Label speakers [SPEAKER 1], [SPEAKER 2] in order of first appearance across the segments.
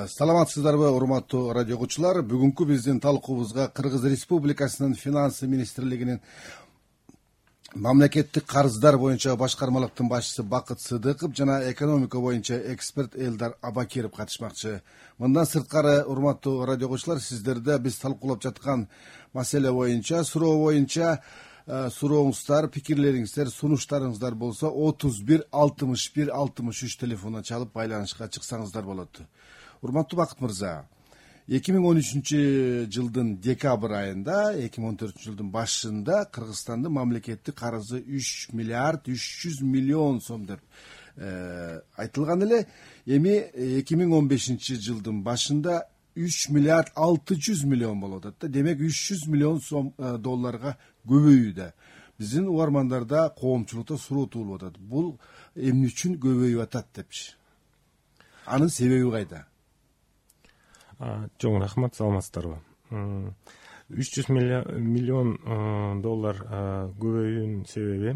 [SPEAKER 1] Саламатсыздарбы, урматтуу радио угуучулар. Бүгүнкү биздин талкуубузга Кыргыз Республикасынын финанс министрлигинин мамлекеттик карыздар боюнча башкармалыктын башчысы Бакыт Сыдыков жана экономика боюнча эксперт Элдар Абакиров катышмакчы. Мындан сырткары, урматтуу радио угуучулар, сиздерде биз талкуулап жаткан маселе боюнча, суроо боюнча сурооңуздар, пикирлериңиздер, сунуштарыңыздар болсо 31 61 63 телефонуна чалып байланышка чыксаңыздар болот. Урматтуу Бакыт мырза, 2013 жылдын декабрь айында, 2014 жылдын башында Кыргызстандын мамлекеттик карызы 3 миллиард 300 миллион сом деп айтылган эле. Эми 2015 жылдын башында 3 миллиард 600 миллион болуп атат. Демек 300 миллион сом долларга көбөйүүдө. Биздин угармандарда, коомчулукта суроо туулуп атат. Бул эмне үчүн көбөйүп атат депчи? Анын себеби кайда?
[SPEAKER 2] Чоң рахмат, саламатсыздарбы. 300 миллион доллар көбөйүүнүн себеби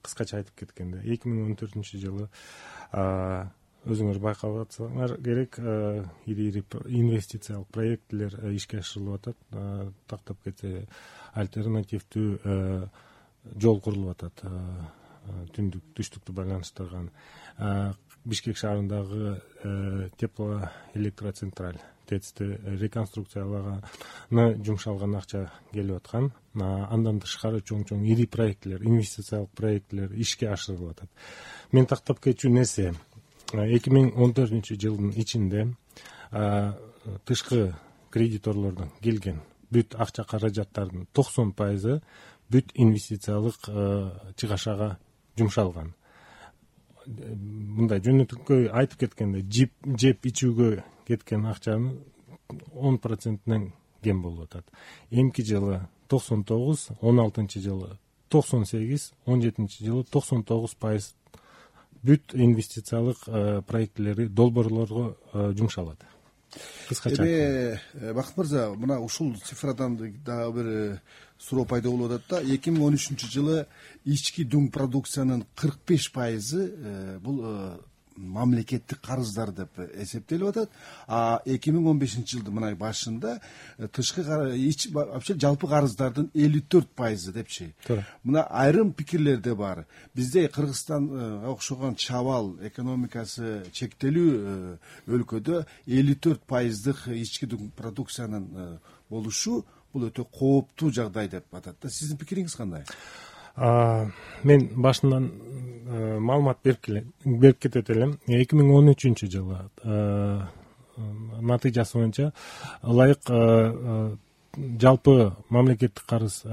[SPEAKER 2] кыскача айтып кеткенде 2014 жылы өзүңөр байкап атсаңар керек, ири инвестициялык проекттер ишке ашырылып атат. Тактап кетсе, альтернативдүү жол курулуп атат. Түндүк түштүктү байланыштырган. Бишкек шаарындагы теплоэлектроцентраль ТЭЦти реконструкциялаганы жумшалган акча келип аткан. Андан тышкары чоң ири проекттер, инвестициялык проекттер ишке ашырылып атат. Мен тактап кетчү нерсе, 2014 жылдын ичинде тышкы кредиторлордон келген бүт акча каражаттардын 90% бүт инвестициялык чыгашага жумшалган. Мындай жөнөтүккө айтып кеткенде, жеп ичүүгө кеткен акчанын 10%нен кем болуп атат. Эмки жылы 99, 16 жылы 98, 17 жылы 99% бүт инвестициялык проекттери, долбоорлорго жумшалат. Кыскача.
[SPEAKER 1] Бакыт мырза, мына ушул цифрадан дагы бир суроо пайда болуп атат да. 2013 жылы ички дүң продукциянын 45% бул мамлекеттик карыздар деп эсептелип атат. 2015 жылдын мына башында тышкы вообще жалпы карыздардын 54% депчи. Мына айрым пикирлерде бар. Бизде Кыргызстанга окшогон чабал, экономикасы чектелүү өлкөдө 54%дык ички дүң продукциянын болушу бул өтө кооптуу жагдай деп атат да. Сиздин пикириңиз кандай?
[SPEAKER 2] Мен башынан маалымат берип кетет элем. 2013 жылы натыйжасы боюнча ылайык жалпы мамлекеттик карыз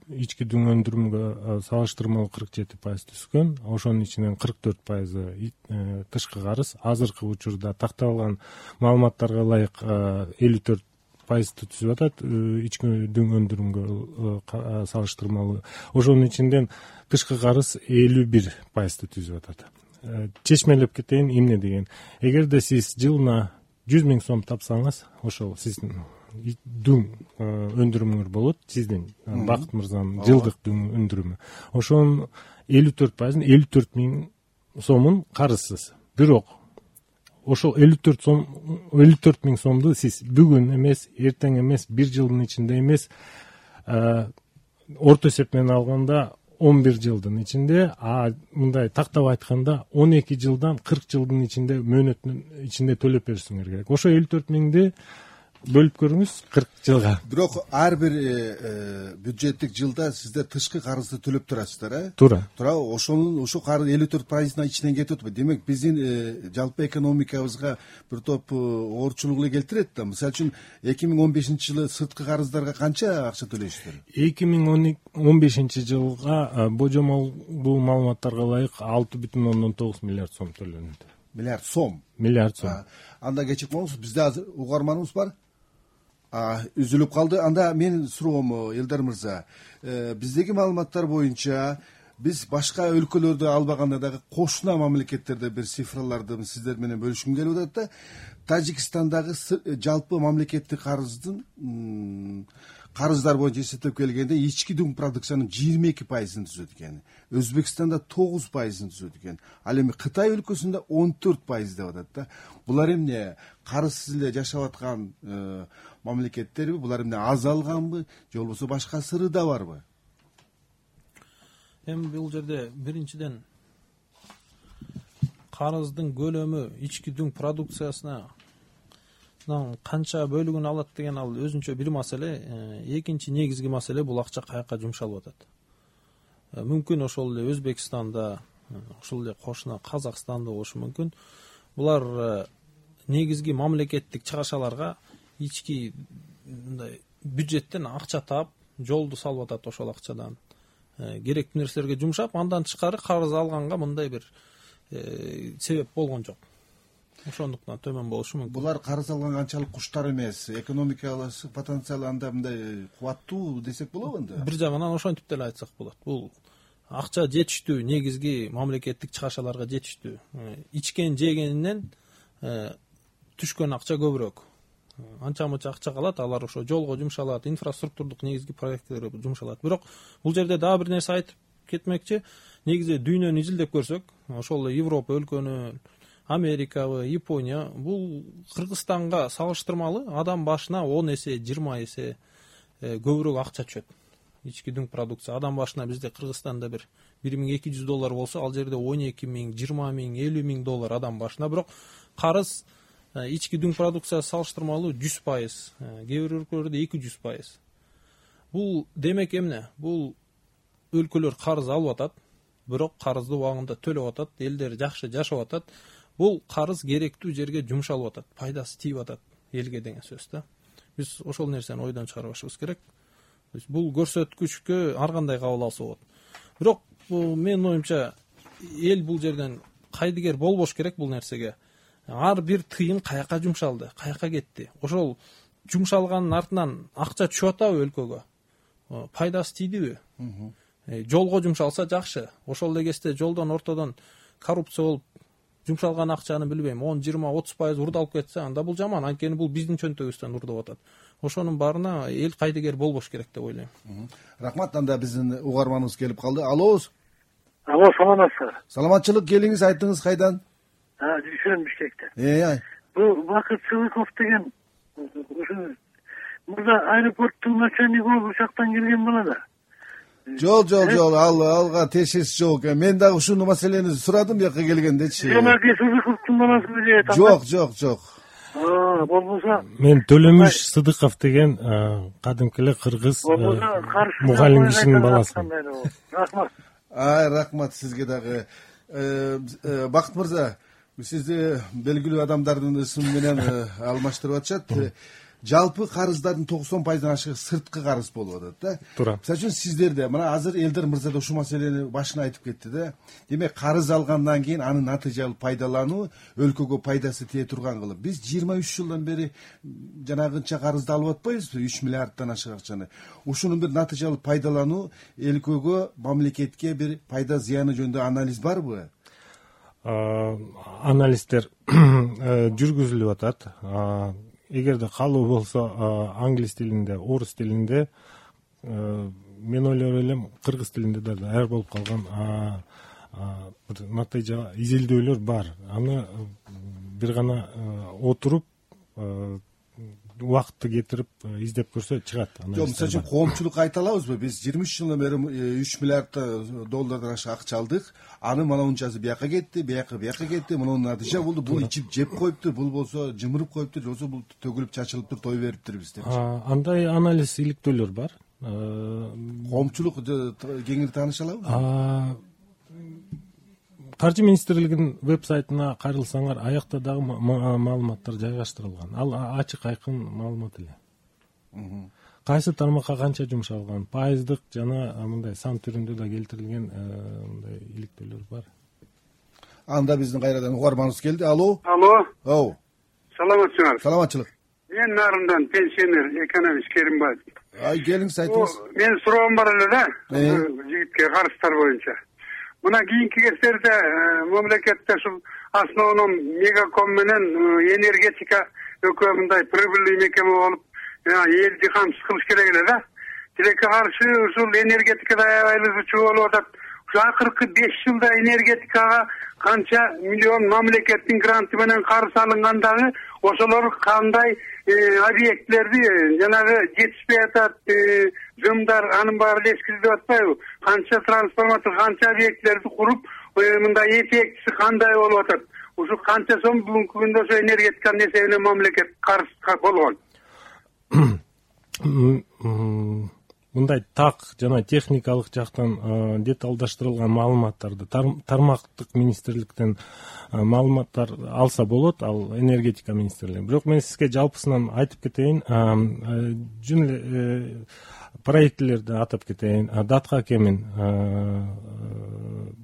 [SPEAKER 2] ички дүң өндүрүмгө салыштырмалуу 47% түшкөн. Ошонун ичинен 44% тышкы карыз. Азыркы учурда такталган маалыматтарга ылайык 54% түзүп атат ички дүң өндүрүмгө салыштырмалуу. Ошонун ичинен тышкы карыз 51% түзүп атат. Чечмелеп кетейин, эмне деген. Эгерде сиз жылына 100 000 сом тапсаңыз, ошол сиздин дүң өндүрүмүңөр болот, сиздин Бакыт мырзанын жылдык дүң өндүрүмү. Ошонун 54%, 54 000 сомун карызсыз. Бирок ошол 54 000 сомду сиз бүгүн эмес, эртең эмес, бир жылдын ичинде эмес, орто эсеп менен алганда 11 жылдын ичинде, мындай тактап айтканда 12 жылдан 40 жылдын ичинде, мөөнөттүн ичинде төлөп беришиңер керек. Ошо 54 000ди бөлүп көрүңүз 40 жылга.
[SPEAKER 1] Бирок ар бир бюджеттик жылда сиздер тышкы карызды төлөп турасыздар,
[SPEAKER 2] Туура.
[SPEAKER 1] Ошо карыз 54%-ын ичинен кетип атпайбы? Демек биздин жалпы экономикабызга бир топ оорчулук эле келтирет да. Мисалы үчүн 2015 жылы сырткы карыздарга канча акча төлөйсүздөр?
[SPEAKER 2] 2015 жылга божомолдуу маалыматтарга ылайык 6,9 миллиард сом төлөнүп.
[SPEAKER 1] Миллиард сом?
[SPEAKER 2] Миллиард сом.
[SPEAKER 1] Анда кечирип коңуз, бизде азыр угарманыбыз бар. Үзүлүп калды. Анда менин суроом, Элдар мырза, биздеги маалыматтар боюнча биз башка өлкөлөрдө албаганда дагы кошуна мамлекеттерде бир цифраларды сиздер менен бөлүшкүм келип атат да. Тажикстандагы жалпы мамлекеттик карыздын карыздар боюнча эсептеп келгенде ички дүң продукциянын 22% түзөт экен. Өзбекстанда 9% түзөт экен. Ал эми Кытай өлкөсүндө 14% деп атат да. Булар эмне карызсыз эле жашап аткан мамлекеттерби? Булар эмне азалганбы, же болбосо башка сыры да барбы?
[SPEAKER 3] Эми бул жерде биринчиден карыздын көлөмү ички дүң продукциясына канча бөлүгүн алат деген ал өзүнчө бир маселе. Экинчи негизги маселе бул акча каяка жумшалып атат. Мүмкүн ошол эле Өзбекстанда, ошол эле кошуна Казакстанда болушу мүмкүн. Булар негизги мамлекеттик чыгашаларга ички мындай бюджеттен акча таап, жолду салып атат ошол акчадан. Керектүү нерселерге жумшап, андан тышкары карыз алганга мындай бир себеп болгон жок. Ошондуктан төмөн болушу мүмкүн.
[SPEAKER 1] Булар карыз алган канчалык куштар эмес, экономикалык потенциалы анда мындай кубаттуу десек болобу анда?
[SPEAKER 3] Бир жагынан ошентип деле айтсак болот. Бул акча жетиштүү, негизги мамлекеттик чыгашаларга жетиштүү. Ичкен жегенинен түшкөн акча көбүрөөк. Анча-мынча акча калат, алар ошо жолго жумшалат, инфраструктурдук негизги проекттерге жумшалат. Бирок бул жерде дагы бир нерсе айтып кетмекчи. Негизи дүйнөнү изилдеп көрсөк, ошол эле Европа өлкөнү, Америкабы, Япония, бул Кыргызстанга салыштырмалуу адам башына 10 эсе, 20 эсе көбүрөөк акча түшөт. Ички дүң продукция адам башына бизде Кыргызстанда бир $1200 болсо, ал жерде 12 000, 20 000, 50 000 доллар адам башына. Бирок карыз ички дүң продукция салыштырмалуу 100%, кээ бир өлкөлөрдө 200%. Бул демек эмне? Бул өлкөлөр карыз алып атат, бирок карызды убагында төлөп атат, элдер жакшы жашап атат. Бул карыз керектүү жерге жумшалып атат, пайдасы тийип атат элге деген сөз да. Биз ошол нерсени ойдон чыгарбашыбыз керек. Бул көрсөткүчкө ар кандай кабыл алса болот. Бирок менин оюмча эл бул жерден кайдыгер болбош керек бул нерсеге. Ар бир тыйын каяка жумшалды, каяка кетти. Ошол жумшалганын артынан акча түшүп атабы өлкөгө? Пайдасы тийдиби? Жолго жумшалса жакшы. Ошол эле кезде жолдон ортодон коррупция болуп жумшалган акчаны билбейм 10, 20, 30% урдалып кетсе, анда бул жаман. Анткени бул биздин чөнтөгүбүздөн урдап атат. Ошонун баарына эл кайдыгер болбош керек деп ойлойм.
[SPEAKER 1] Рахмат. Анда биздин угарманыбыз келип калды. Алло,
[SPEAKER 4] саламатсызбы?
[SPEAKER 1] Саламатчылык, келиңиз, айтыңыз кайдан?
[SPEAKER 4] Жүрөм Бишкектен. Бул Бакыт Сыдыков деген ушу мурда аэропорттун начальниги учактан келген бала да.
[SPEAKER 1] Жол, алга тешес жок. Мен дагы ушуну маселени сурадым бияка келгендечи.
[SPEAKER 4] Жанагы Сыдыковдун баласыбы деп
[SPEAKER 1] атам? Жок.
[SPEAKER 4] Болбосо
[SPEAKER 2] мен Төлөмүш Сыдыков деген кадимки эле кыргыз мугалим кишинин баласы.
[SPEAKER 4] Рахмат.
[SPEAKER 1] Рахмат сизге дагы. Бакыт мырза, сизди белгилүү адамдардын ысымы менен алмаштырып атышат. Жалпы карыздардын 90%-дан ашыгы сырткы карыз болуп атат да.
[SPEAKER 2] Туура.
[SPEAKER 1] Мисалы үчүн сиздерде мына азыр Элдар мырза да ушул маселени башына айтып кетти да. Демек карыз алгандан кийин аны натыйжалуу пайдалануу өлкөгө пайдасы тие турган кылып. Биз 23 жылдан бери жанагынча карызды алып атпайбызбы? 3 миллиарддан ашык акчаны. Ушунун бир натыйжалуу пайдалануу өлкөгө, мамлекетке бир пайда зыяны жөнүндө анализ барбы?
[SPEAKER 2] Анализдер жүргүзүлүп атат. Эгерде калуу болсо англис тилинде, орус тилинде, мен ойлоп элем кыргыз тилинде да даяр болуп калган бир натыйжа изилдөөлөр бар. Аны бир гана отуруп убакытты кетирип издеп көрсө чыгат.
[SPEAKER 1] Жок, мисалы үчүн коомчулукка айта алабызбы? Биз 23 жылдан бери 3 миллиард доллардан ашык акча алдык. Аны мына унчасы бияка кетти, бияка кетти. Мунун натыйжа болду. Бул ичип жеп коюптур, бул болсо жымырып коюптур, же болбосо бул төгүлүп чачылыптыр, той бериптирбиз деп.
[SPEAKER 2] Андай анализ иликтөөлөр бар.
[SPEAKER 1] Коомчулук кеңири тааныша алабы?
[SPEAKER 2] Каржы министрлигинин веб-сайтына кайрылсаңар, аякта дагы маалыматтар жайгаштырылган. Ал ачык айкын маалымат эле. Кайсы тармакка канча жумшалган, пайыздык жана мындай сан түрүндө да келтирилген мындай иликтөөлөр бар.
[SPEAKER 1] Анда биздин кайрадан угарманыбыз келди. Алло.
[SPEAKER 4] Саламатсызбы?
[SPEAKER 1] Саламатчылык.
[SPEAKER 4] Мен Нарындан пенсионер экономист Керимбаев.
[SPEAKER 1] Келиңиз, айтыңыз.
[SPEAKER 4] Мен суроом бар эле да, жигитке карыздар боюнча. Мына кийинки кездерде мамлекетте ушул основном Мегаком менен энергетика экөө мындай прибыльный мекеме болуп, элди камсыз кылыш керек эле да.
[SPEAKER 5] тилекке каршы ушул энергетикада аябай эле зычуу болуп атат. Ушу акыркы 5 жылда энергетикага канча миллион мамлекеттин гранты менен карыз алынган дагы ошолор кандай объектлерди жанагы жетишпей атат, жымдар анын баары эле эскирилип атпайбы? Канча трансформатор, канча объектлерди куруп, мындай эффектиси кандай болуп атат? Ушу канча сом бүгүнкү күндө ошо энергетиканын эсебинен мамлекет карызга болгон?
[SPEAKER 2] Мындай так жана техникалык жактан деталдаштырылган маалыматтарды тармактык министрликтен маалыматтар алса болот, ал энергетика министрлиги. Бирок мен сизге жалпысынан айтып кетейин, жөн эле проектилерди атап кетейин. Датка кемин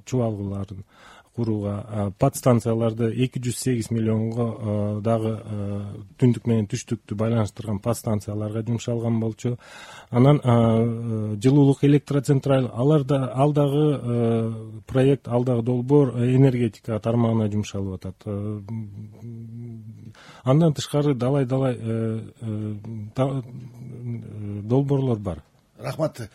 [SPEAKER 2] чубалгыларын курууга, подстанцияларды 208 миллионго дагы түндүк менен түштүктү байланыштырган подстанцияларга жумшалган болчу. Анан жылуулук электроцентраль, ал дагы проект, ал дагы долбоор энергетика тармагына жумшалып атат. Андан тышкары далай долбоорлор бар.
[SPEAKER 1] Рахмат.